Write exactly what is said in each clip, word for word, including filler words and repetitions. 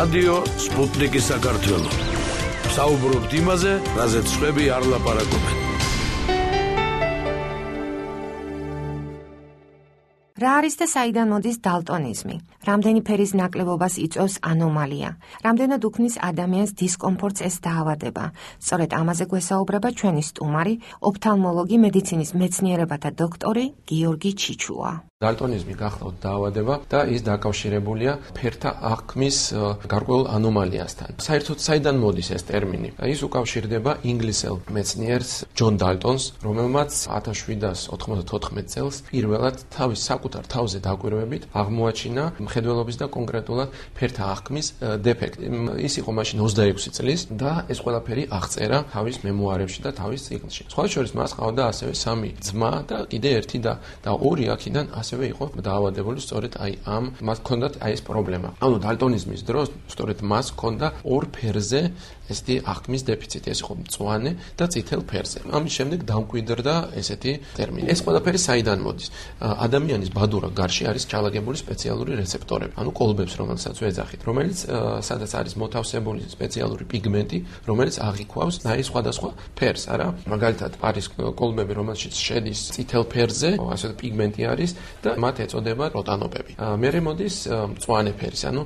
რადიო სპუტნიკი საქართველო. საუბრობთ იმაზე, რაზეც სხვები არ ლაპარაკობენ. რა არის და საიდან მოდის დალტონიზმი? რამდენი ფერის ნაკლებობას იწვევს ანომალია? რამდენად უქმნის ადამიანს დისკომფორტს ეს დაავადება? სწორედ ამაზე გვესაუბრება ჩვენი სტუმარი, ოფთალმოლოგი, მედიცინის მეცნიერებათა დოქტორი გიორგი ჩიჩუა. დალტონიზმი გახლავთ დაავადება და ის დაკავშირებულია ფერთა აღქმის გარკვეულ ანომალიასთან. საერთოდ საიდან მოდის ეს ტერმინი? ის უკავშირდება ინგლისელ მეცნიერს ჯონ დალტონს, რომელმაც ათას შვიდას ოთხმოცდათოთხმეტ წელს პირველად თავის საკუთარ თავზე დაკვირვებით აღმოაჩინა მხედველობის და კონკრეტულად ფერთა აღქმის დეფექტი. ის იყო მაშინ ოცდაექვსი წლის და ეს ყველაფერი აღწერა თავის მემუარებში და თავის ციკლში. სხვა შორის მას ყავდა ასევე სამი ძმა და კიდე ერთი და და ორი აქედან ასევე იყო დაავადებული სწორედ აი ამ მას ჰქონდათ აი ეს პრობლემა. ანუ დალტონიზმის დროს სწორედ მას ჰქონდა ორ ფერზე ესეთი აღქმის დეფიციტი, ეს იყო მწვანე და წითელ ფერზე. ამის შემდეგ დამკვიდრდა ესეთი ტერმინი. ეს ყველაფერი საიდან მოდის? ადამიანის ბადურა გარში არის ჩალაგებული სპეციალური რეცეპტორები, ანუ კოლბებს, რომელსაც ვეძახით, რომელიც სადაც არის მოთავსებული სპეციალური პიგმენტი, რომელიც აღიქვავს აი სხვადასხვა ფერს, არა? მაგალითად, არის კოლბები, რომელშიც შედის წითელ ფერზე, ასე პიგმენტი არის და მათ ეწოდება როტანოპები. მერე მოდის მწვანე ფერის, ანუ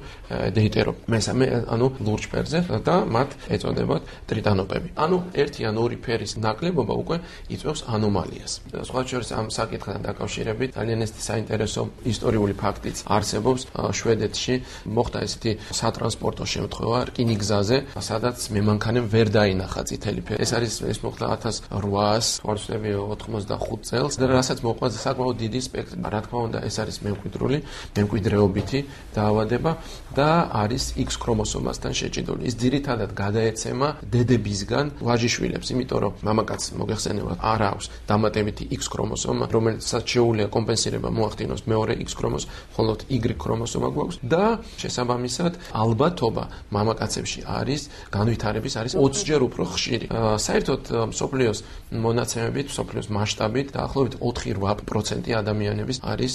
დეიტერო, მესამე, ანუ ლურჯ ფერზე და მათ ეწოდებათ ტრიტანოპები. ანუ ერთი ან ორი ფერის ნაკლებობა უკვე იწვევს ანომალიას. სხვა შორის ამ საკითხთან დაკავშირებით ძალიან ესეთი საინტერესო ისტორიული ფაქტიც არსებობს. შვედეთში მოხდა ესეთი სატრანსპორტო შემთხვევა რკინიგზაზე, სადაც მემანქანემ ვერ დაინახა წითელი ფერი. ეს არის ეს მოხდა ათას რვაას ოცდახუთ წელს და რასაც მოყვა საკმაოდ დიდი სპექტრი. რა თქმა უნდა, ეს არის მემკვიდრული, მემკვიდრეობითი დაავადება და არის X ქრომოსომასთან შეჭიდული. ის ძირითადად გადაეცემა დედებისგან ვაჟიშვილებს, იმიტომ რომ მამაკაცს მოგეხსენებათ არ აქვს დამატებითი X ქრომოსომა, რომელსაც შეუძლია კომპენსირება მოახდინოს მეორე X ქრომოსომა, ხოლო Y ქრომოსომა გვაქვს და შესაბამისად ალბათობა მამაკაცებში არის განვითარების არის ოცჯერ უფრო ხშირი. საერთოდ მსოფლიოს მონაცემებით, მსოფლიოს მასშტაბით დაახლოებით ოთხი რვა პროცენტი ადამიანების არის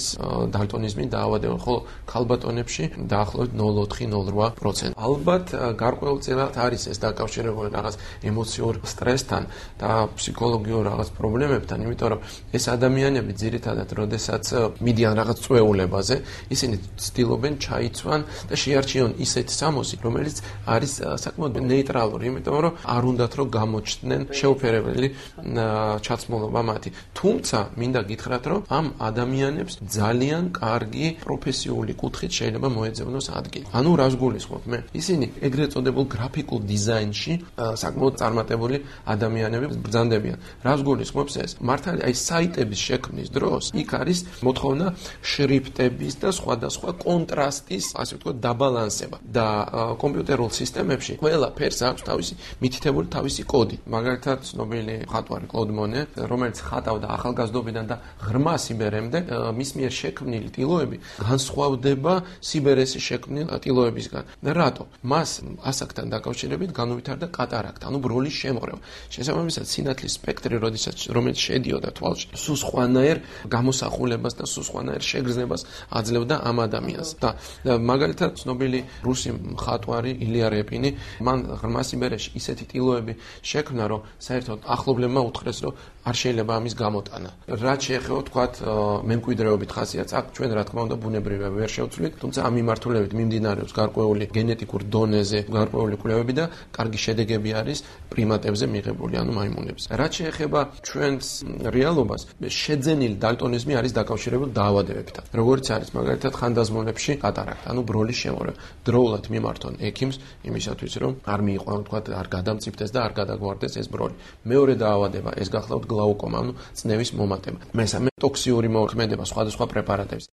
დალტონიზმი დაავადება, ხოლო ქალბატონებში დაახლოებით ნულ ოთხი ნულ რვა პროცენტი. ალბათ გარკვეულწილად არის ეს დაკავშირებული რაღაც ემოციურ სტრესთან და ფსიქოლოგიურ რაღაც პრობლემებთან, იმიტომ რომ ეს ადამიანები ძირითადად, როდესაც მიდიან რაღაც წვეულებაზე, ისინი ცდილობენ ჩაიცვან და შეარჩიონ ისეთ სამოსი, რომელიც არის საკმაოდ ნეიტრალური, იმიტომ რომ არ უნდათ რომ გამოჩნდნენ შეუფერებელი ჩაცმულობა მათი. თუმცა მინდა გითხრათ, რომ ამ ადამიანებს ძალიან კარგი პროფესიული კუთხით შეიძლება მოეძებნოს ადგილი. ანუ რას გულისხმობ მე? ისინი ეგრეთ წოდებულ გრაფიკულ დიზაინში საკმაოდ წარმატებული ადამიანები ბრძანდებიან. რას გულისხმობს ეს? მართალი აი საიტების შექმნის დროს იქ არის მოთხოვნა შრიფტების და სხვადასხვა კონტრასტის, ასე ვთქვათ, დაბალანსება და კომპიუტერულ სისტემებში ყველა ფერს აქვს თავისი მითითებული თავისი კოდი. მაგალითად, ცნობილი მხატვარი კლოდ მონე, რომელიც ხატავდა ახალგაზრდობიდან და ღრმა სიბერემდე, მის მიერ შექმნილი ტილოები განსხვავდება სიბერესის შექმნილ ტილოებისგან. რატო? მას ასაკთან დაკავშირებით განუვითარდა კატარაქტა, ანუ ბროლის შემოღრევა. შესაბამისად, სინათლის სპექტრი, როდესაც რომელიც შედიოდა თვალში, სულ სხვანაირ გამოსახულებას და სულ სხვანაირ შეგრძნებას აძლევდა ამ ადამიანს. და მაგალითად, ცნობილი რუსი მხატვარი ილია რეპინი, მან ღრმა სიბერეში ისეთი ტილოები შექმნა, რომ საერთოდ ახლობლებმა უთხრეს, რომ არ შეიძლება ამის გამოტანა. რაც შეეხება თქვათ მემკვიდრეობით ხასიათს, აქ ჩვენ რა თქმა უნდა ბუნებრივია ვერ შევცვლით, თუმცა ამ მიმართულებით მიმდინარეობს გარკვეული გენეტიკურ დონეზე გარკვეული კვლევები და კარგი შედეგები არის პრიმატებზე მიღებული, ანუ მაიმუნებზე. რაც შეეხება ჩვენს რეალობას, შეძენილი დალტონიზმი არის დაკავშირებული დაავადებებთან. როგორც არის მაგალითად ხანდაზმულებში კატარაქტა, ანუ ბროლის შემოღრევა. დროულად მიმართონ ექიმს იმისათვის, რომ არ მიიყვანო თქვათ, არ გადამწიფდეს და არ გადაგვარდეს ეს ბროლი. მეორე დაავადება ეს გახლავთ გლაუკომა, ანუ წნევის მომატება. მესამე ტოქსიური მოქმედება სხვადასხვა პრეპარატების.